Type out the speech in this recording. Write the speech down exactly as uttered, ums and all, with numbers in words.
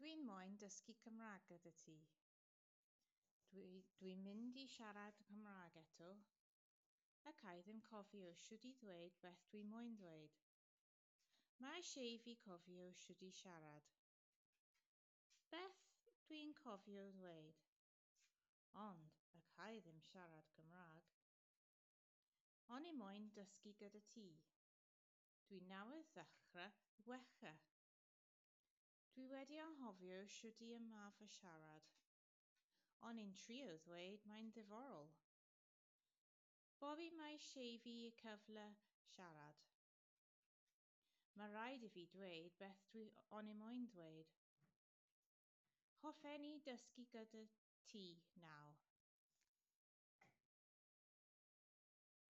Dwi'n moyn dysgu Cymraeg gyda ti. Dwi, dwi'n mynd i siarad Cymraeg eto. Ac i ddim cofio shwt i ddweud beth dwi moyn ddweud. Mae eisiau i fi cofio shwt i siarad. Beth dwi'n cofio ddweud? Ond ac i ddim siarad Cymraeg. O'n i moyn dysgu gyda ti. Dwi newydd ddechrau wella. Dwi wedi anghofio shwt i ymarfer siarad. O'n i'n trio ddweud mae'n ddiddorol. Bobby mae eisiau fi cyfle siarad. Mae rhaid i fi dweud beth dwi o'n i moyn dweud. Hoffen i dysgu gyda ti nawr.